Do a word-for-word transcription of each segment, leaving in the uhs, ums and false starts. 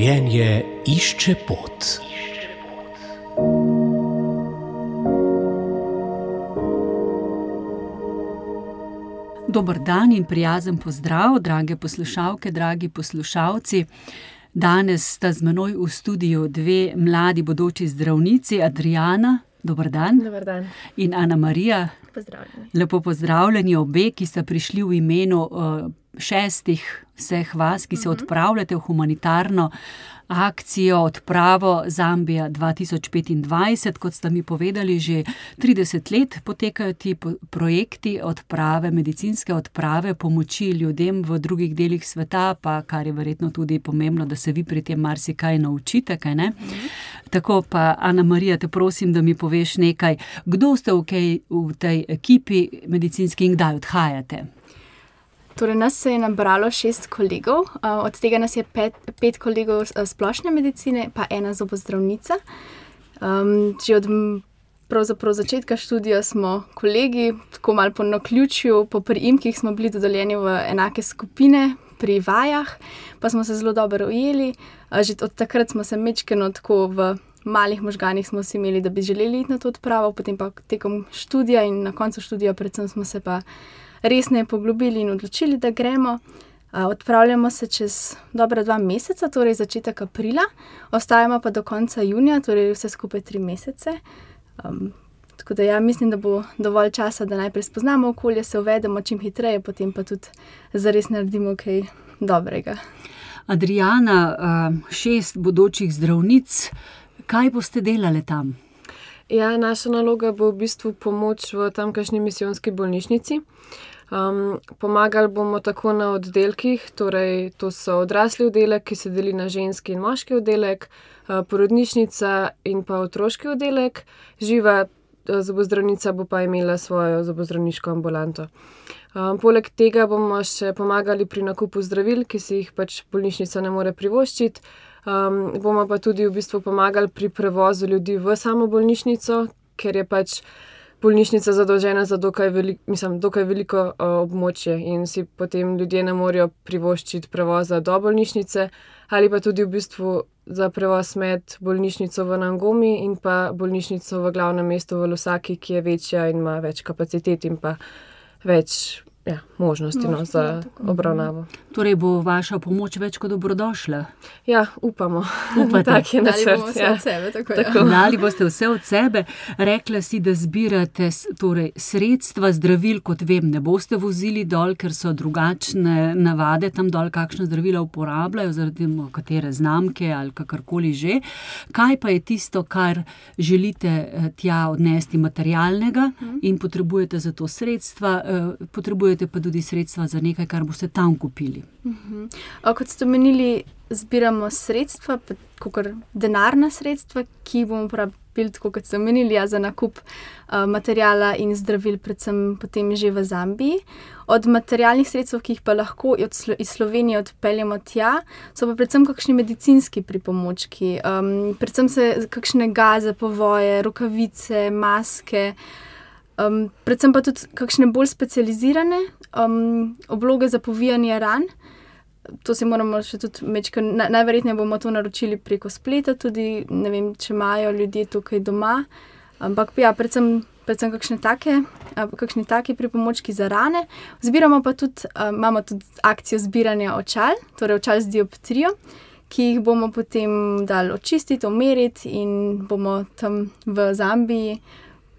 Življenje išče pot. Dober dan in prijazen pozdrav, drage poslušalke, dragi poslušalci. Danes sta z menoj v studiu dve mladi bodoči zdravnici, Adriana, dober dan. Dober dan. In Ana Marija. Pozdravljeni. Lepo pozdravljeni obe, ki sta prišli v imenu uh, šestih vseh vas, ki se odpravljate v humanitarno akcijo Odpravo Zambija dva tisoč petindvajset. Kot sta mi povedali, že trideset let potekajo ti projekti odprave, medicinske odprave, pomoči ljudem v drugih delih sveta, pa kar je verjetno tudi pomembno, da se vi pri tem marsikaj naučite, kaj ne? Mhm. Tako pa, Ana Marija, te prosim, da mi poveš nekaj, kdo ste v, kaj, v tej ekipi medicinski in kdaj odhajate? Torej, nas se je nabralo šest kolegov, od tega nas je pet, pet kolegov splošne medicine, pa ena zobozdravnica. Um, že od pravzaprav začetka študija smo kolegi, tako malo po naključju, po priimkih smo bili dodeljeni v enake skupine pri vajah, pa smo se zelo dobro ujeli. Že od takrat smo se majčkeno tako v malih možganih smo si imeli, da bi želeli iti na to odpravo, potem pa tekom študija in na koncu študija predvsem smo se pa resneje poglobili in odločili, da gremo. Odpravljamo se čez dobra dva meseca, torej začetek aprila, ostajamo pa do konca junija, torej vse skupaj tri mesece. Um, tako da ja, mislim, da bo dovolj časa, da najprej spoznamo okolje, se uvedemo čim hitreje, potem pa tudi zares naredimo kaj dobrega. Adriana, šest bodočih zdravnic, kaj boste delali tam? Ja, naša naloga bo v bistvu pomoč v tamkajšnji misijonski bolnišnici. Um, pomagali bomo tako na oddelkih, torej to so odrasli oddelek, ki se deli na ženski in moški oddelek, porodnišnica in pa otroški oddelek. Živa zobozdravnica bo pa imela svojo zobozdravniško ambulanto. Um, poleg tega bomo še pomagali pri nakupu zdravil, ki si jih pač bolnišnica ne more privoščiti. Um, bomo pa tudi v bistvu pomagali pri prevozu ljudi v samo bolnišnico, ker je pač bolnišnica zadolžena za dokaj, veli, mislim, dokaj veliko uh, območje in si potem ljudje ne morejo privoščiti prevoza do bolnišnice ali pa tudi v bistvu za prevoz med bolnišnico v Nangomi in pa bolnišnico v glavnem mestu v Lusaki, ki je večja in ima več kapacitet in pa več ja, možnosti no, za obravnavo. Torej bo vaša pomoč več kot dobrodošla? Ja, upamo. Upate? Tak je načrt. Dali bomo vse ja. od sebe. Tako, tako. ja. Dali boste vse od sebe. Rekla si, da zbirate torej, sredstva, zdravil, kot vem, ne boste vozili dol, ker so drugačne navade tam dol, kakšne zdravila uporabljajo, zaradi katere znamke ali kakorkoli že. Kaj pa je tisto, kar želite tja odnesti materialnega hmm. in potrebujete za to sredstva, potrebujete pa tudi sredstva za nekaj, kar boste tam kupili. Uh-huh. Kot ste omenili, zbiramo sredstva, kakor denarna sredstva, ki bomo uporabili, tako kot ste omenili, ja, za nakup uh, materijala in zdravil, predvsem potem že v Zambiji. Od materialnih sredstev, ki jih pa lahko iz Slovenije odpeljemo tja, so pa predvsem kakšni medicinski pripomočki, um, predvsem se kakšne gaze, povoje, rokavice, maske, Um, predvsem pa tudi kakšne bolj specializirane um, obloge za povijanje ran. To si moramo še tudi mečka, na, najverjetneje bomo to naročili preko spleta, tudi ne vem, če imajo ljudje tukaj doma. Ampak ja, predvsem, predvsem kakšne take, kakšne take pripomočki za rane. Zbiramo pa tudi, um, imamo tudi akcijo zbiranja očal, torej očal z dioptrijo, ki jih bomo potem dali očistiti, omeriti in bomo tam v Zambiji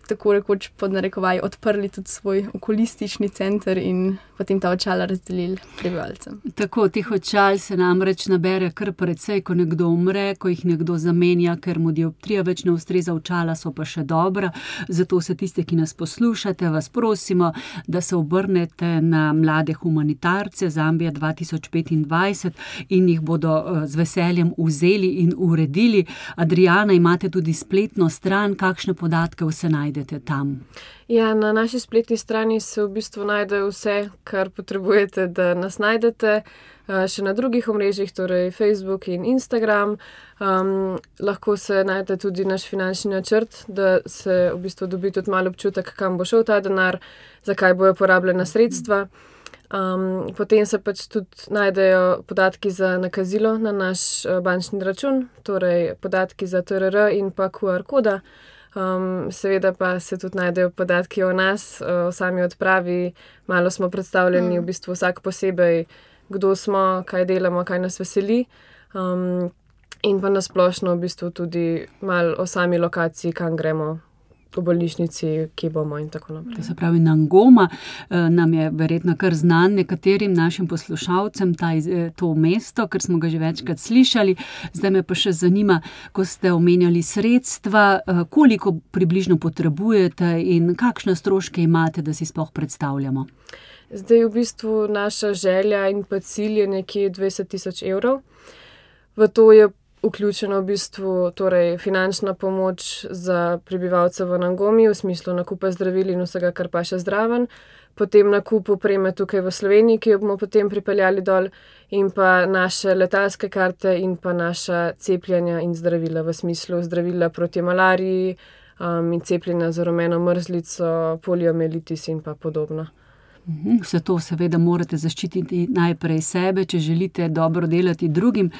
tako rekoč pod narekovaj odprli tudi svoj okulistični center in potem ta očala razdelili prebivalcem. Tako, teh očal se namreč nabere kar precej, ko nekdo umre, ko jih nekdo zamenja, ker mu dioptrija več ne ustreza, očala so pa še dobra. Zato se tiste, ki nas poslušate, vas prosimo, da se obrnete na mlade humanitarce Zambija dva tisoč petindvajset in jih bodo z veseljem vzeli in uredili. Adriana, imate tudi spletno stran, kakšne podatke vse najde tam? Ja, na naši spletni strani se v bistvu najde vse, kar potrebujete, da nas najdete. Še na drugih omrežjih, torej Facebook in Instagram. Um, lahko se najde tudi naš finančni načrt, da se v bistvu dobi tudi malo občutek, kam bo šel ta denar, zakaj bojo porabljena sredstva. Um, potem se pač tudi najdejo podatki za nakazilo na naš uh, bančni račun, torej podatki za T R R in pa Q R koda. Um, seveda pa se tudi najdejo podatki o nas, o sami odpravi, malo smo predstavljeni mm. v bistvu vsak posebej, kdo smo, kaj delamo, kaj nas veseli. Um, in pa nasplošno v bistvu tudi malo o sami lokaciji, kam gremo, v bolnišnici, kje bomo in tako naprej. To se pravi, Nangoma nam je verjetno kar znan nekaterim našim poslušalcem, ta, to mesto, ker smo ga že večkrat slišali. Zdaj me pa še zanima, ko ste omenjali sredstva, koliko približno potrebujete in kakšne stroške imate, da si sploh predstavljamo? Zdaj v bistvu naša želja in pa cilj je nekje dvajset tisoč evrov. V to je vključeno v bistvu torej finančna pomoč za prebivalce v Nangomi, v smislu nakupa zdravil in vsega, kar pa še zdraven, potem nakup opreme tukaj v Sloveniji, ki jo bomo potem pripeljali dol, in pa naše letalske karte in pa naša cepljenja in zdravila, v smislu zdravila proti malariji um, in cepljenja za rumeno mrzlico, poliomielitis in pa podobno. Vse to seveda morate zaščititi najprej sebe, če želite dobro delati drugim.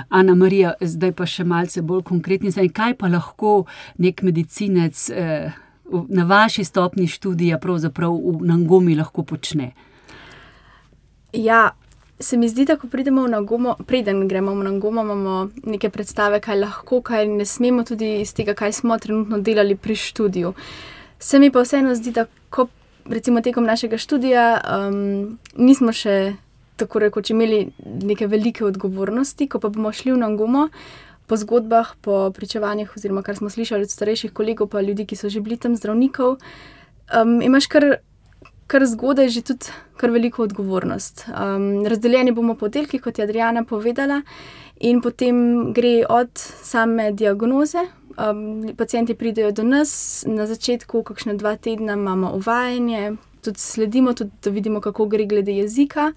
Ana Marija, zdaj pa še malce bolj konkretni, zdaj, kaj pa lahko nek medicinec eh, na vaši stopni študija pravzaprav v Nangomi lahko počne? Ja, se mi zdi, da ko pridemo v Nangomo, preden gremo v Nangomo, imamo neke predstave, kaj lahko, kaj ne smemo, tudi iz tega, kaj smo trenutno delali pri študiju. Se mi pa vseeno zdi, da ko recimo tekom našega študija um, nismo še tako rekoč imeli neke velike odgovornosti, ko pa bomo šli v Nangomo po zgodbah, po pričevanjih oziroma kar smo slišali od starejših kolegov pa ljudi, ki so že bili tam zdravnikov, um, imaš kar, kar zgodaj že tudi kar veliko odgovornost. Um, razdeljeni bomo po oddelkih, kot je Adriana povedala, in potem gre od same diagnoze. Um, pacienti pridejo do nas, na začetku kakšne dva tedna imamo uvajanje, tudi sledimo, tudi da vidimo, kako gre glede jezika,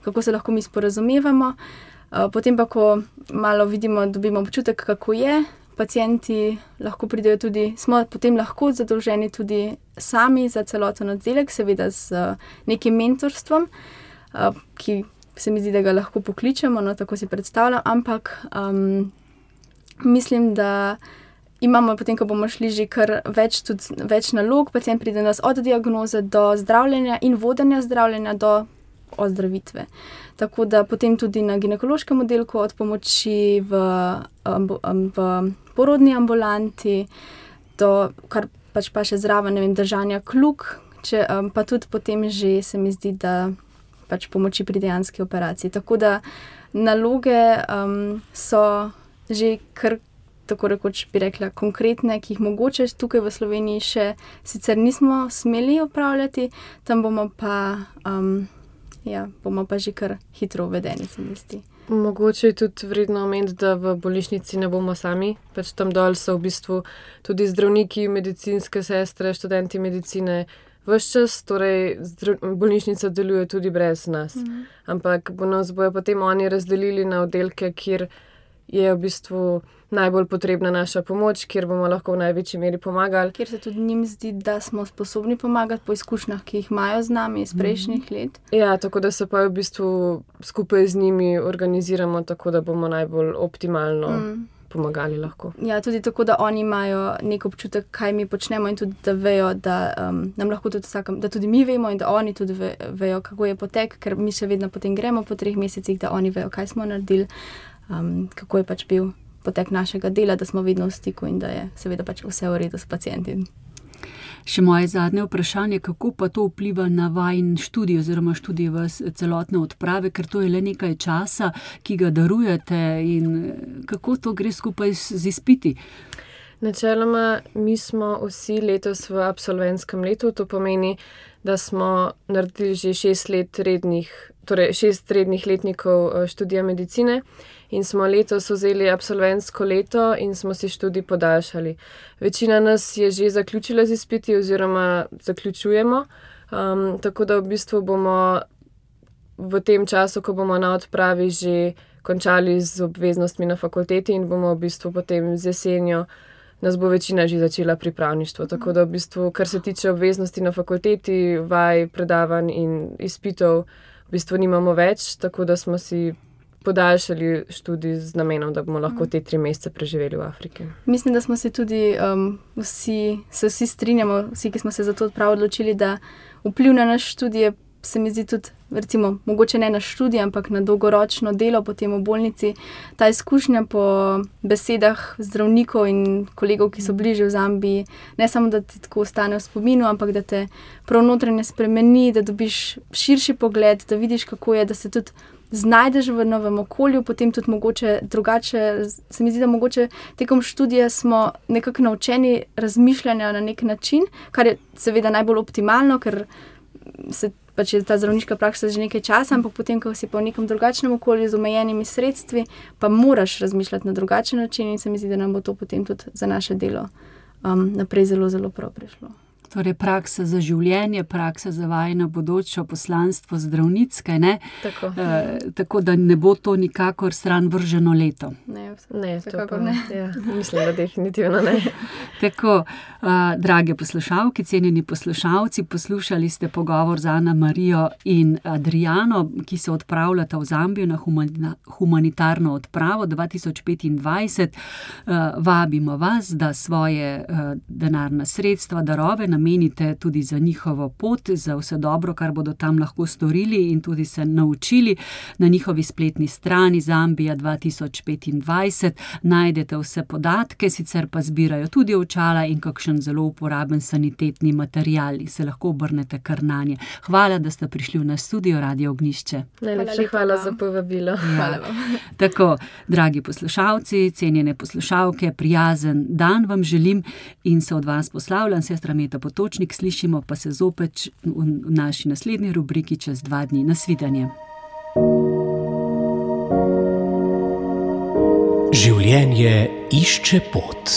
kako se lahko mi sporazumevamo. Uh, potem pa, ko malo vidimo, dobimo občutek, kako je, pacienti lahko pridejo tudi, smo potem lahko zadolženi tudi sami za celoten oddelek, seveda z uh, nekim mentorstvom, uh, ki se mi zdi, da ga lahko pokličemo, no tako si predstavljam, ampak um, mislim, da imamo potem, ko bomo šli že kar več, tudi več nalog, pacient pride nas od diagnoze do zdravljenja in vodenja zdravljenja do ozdravitve. Tako da potem tudi na ginekološkem oddelku od pomoči v, v porodni ambulanti, do kar pač pa še zraven, ne vem, držanja kljuk, če, pa tudi potem že se mi zdi, da pač pomoči pri dejanski operaciji. Tako da naloge um, so že kar tako rekoč bi rekla, konkretne, ki jih mogoče tukaj v Sloveniji še sicer nismo smeli opravljati, tam bomo pa, um, ja, bomo pa že kar hitro uvedeni, se mi zdi. Mogoče je tudi vredno omeniti, da v bolnišnici ne bomo sami, pač tam dol so v bistvu tudi zdravniki, medicinske sestre, študenti medicine, ves čas, torej bolnišnica deluje tudi brez nas. Mhm. Ampak bo nas bojo potem oni razdelili na oddelke, kjer je v bistvu najbolj potrebna naša pomoč, kjer bomo lahko v največji meri pomagali. Kjer se tudi njim zdi, da smo sposobni pomagati po izkušnjah, ki jih imajo z nami iz prejšnjih mm. let. Ja, tako da se pa v bistvu skupaj z njimi organiziramo, tako da bomo najbolj optimalno mm. pomagali lahko. Ja, tudi tako, da oni imajo nek občutek, kaj mi počnemo in tudi, da vejo, da um, nam lahko tudi vsakem, da tudi mi vemo in da oni tudi ve, vejo, kako je potek, ker mi še vedno potem gremo po treh mesecih, da oni vejo, kaj smo naredili, um, kako je pač bil potek našega dela, da smo vedno v stiku in da je seveda pač vse v redu s pacienti. Še moje zadnje vprašanje, kako pa to vpliva na vajin študij oziroma študij v celotne odprave, ker to je le nekaj časa, ki ga darujete in kako to gre skupaj z izpiti? Načeloma, mi smo vsi letos v absolventskem letu, to pomeni, da smo naredili že šest let rednih, torej šest rednih letnikov študija medicine in smo letos vzeli absolventsko leto in smo si študij podaljšali. Večina nas je že zaključila z izpiti oziroma zaključujemo, um, tako da v bistvu bomo v tem času, ko bomo na odpravi že končali z obveznostmi na fakulteti in bomo v bistvu potem z jesenjo nas bo večina že začela pripravništvo. Tako da v bistvu, kar se tiče obveznosti na fakulteti, vaj, predavanj in izpitov, v bistvu nimamo več, tako da smo si podaljšali študij z namenom, da bomo lahko te tri mesece preživeli v Afriki. Mislim, da smo se tudi um, vsi, se vsi strinjamo, vsi, ki smo se za to prav odločili, da vpliv na naš študij se mi zdi tudi, recimo, mogoče ne na študij, ampak na dolgoročno delo potem v bolnici. Ta izkušnja po besedah zdravnikov in kolegov, ki so bliže v Zambiji, ne samo, da ti tako ostane v spominu, ampak da te prav notranje spremeni, da dobiš širši pogled, da vidiš, kako je, da se tudi znajdeš v novem okolju, potem tudi mogoče drugače, se mi zdi, da mogoče tekom študija smo nekako naučeni razmišljanja na nek način, kar je seveda najbolj optimalno, ker se pač je ta zdravniška praksa že nekaj časa, ampak potem, ko si pa v nekem drugačnem okolju z omejenimi sredstvi, pa moraš razmišljati na drugačen način in se mi zdi, da nam bo to potem tudi za naše delo um, naprej zelo, zelo prav prišlo. Torej, praksa za življenje, praksa za vajino bodočo poslanstvo zdravnicke, ne? Tako. E, tako da ne bo to nikakor stran vrženo leto. Ne, Ne, to vsekakor pa ne. Ja, mislim, da definitivno ne. Tako, a, drage poslušalke, cenjeni poslušalci, poslušali ste pogovor z Ana Marijo in Adriano, ki se odpravljata v Zambijo na humani- humanitarno odpravo dva tisoč petindvajset. A, vabimo vas, da svoje a, denarna sredstva, darove namenite tudi za njihovo pot, za vse dobro, kar bodo tam lahko storili in tudi se naučili. Na njihovi spletni strani Zambija dva tisoč petindvajset najdete vse podatke, sicer pa zbirajo tudi očala in kakšen zelo uporaben sanitetni material. Se lahko obrnete kar nanje. Hvala, da ste prišli v naš studio Radio Ognjišče. Najlepša lepa hvala vam. za povabilo. Hvala vam. Tako, dragi poslušalci, cenjene poslušalke, prijazen dan vam želim in se od vas poslavljam, sestra Meta Potočnik, slišimo pa se zopet v naši naslednji rubriki čez dva dni. Nasvidenje. Življenje išče pot.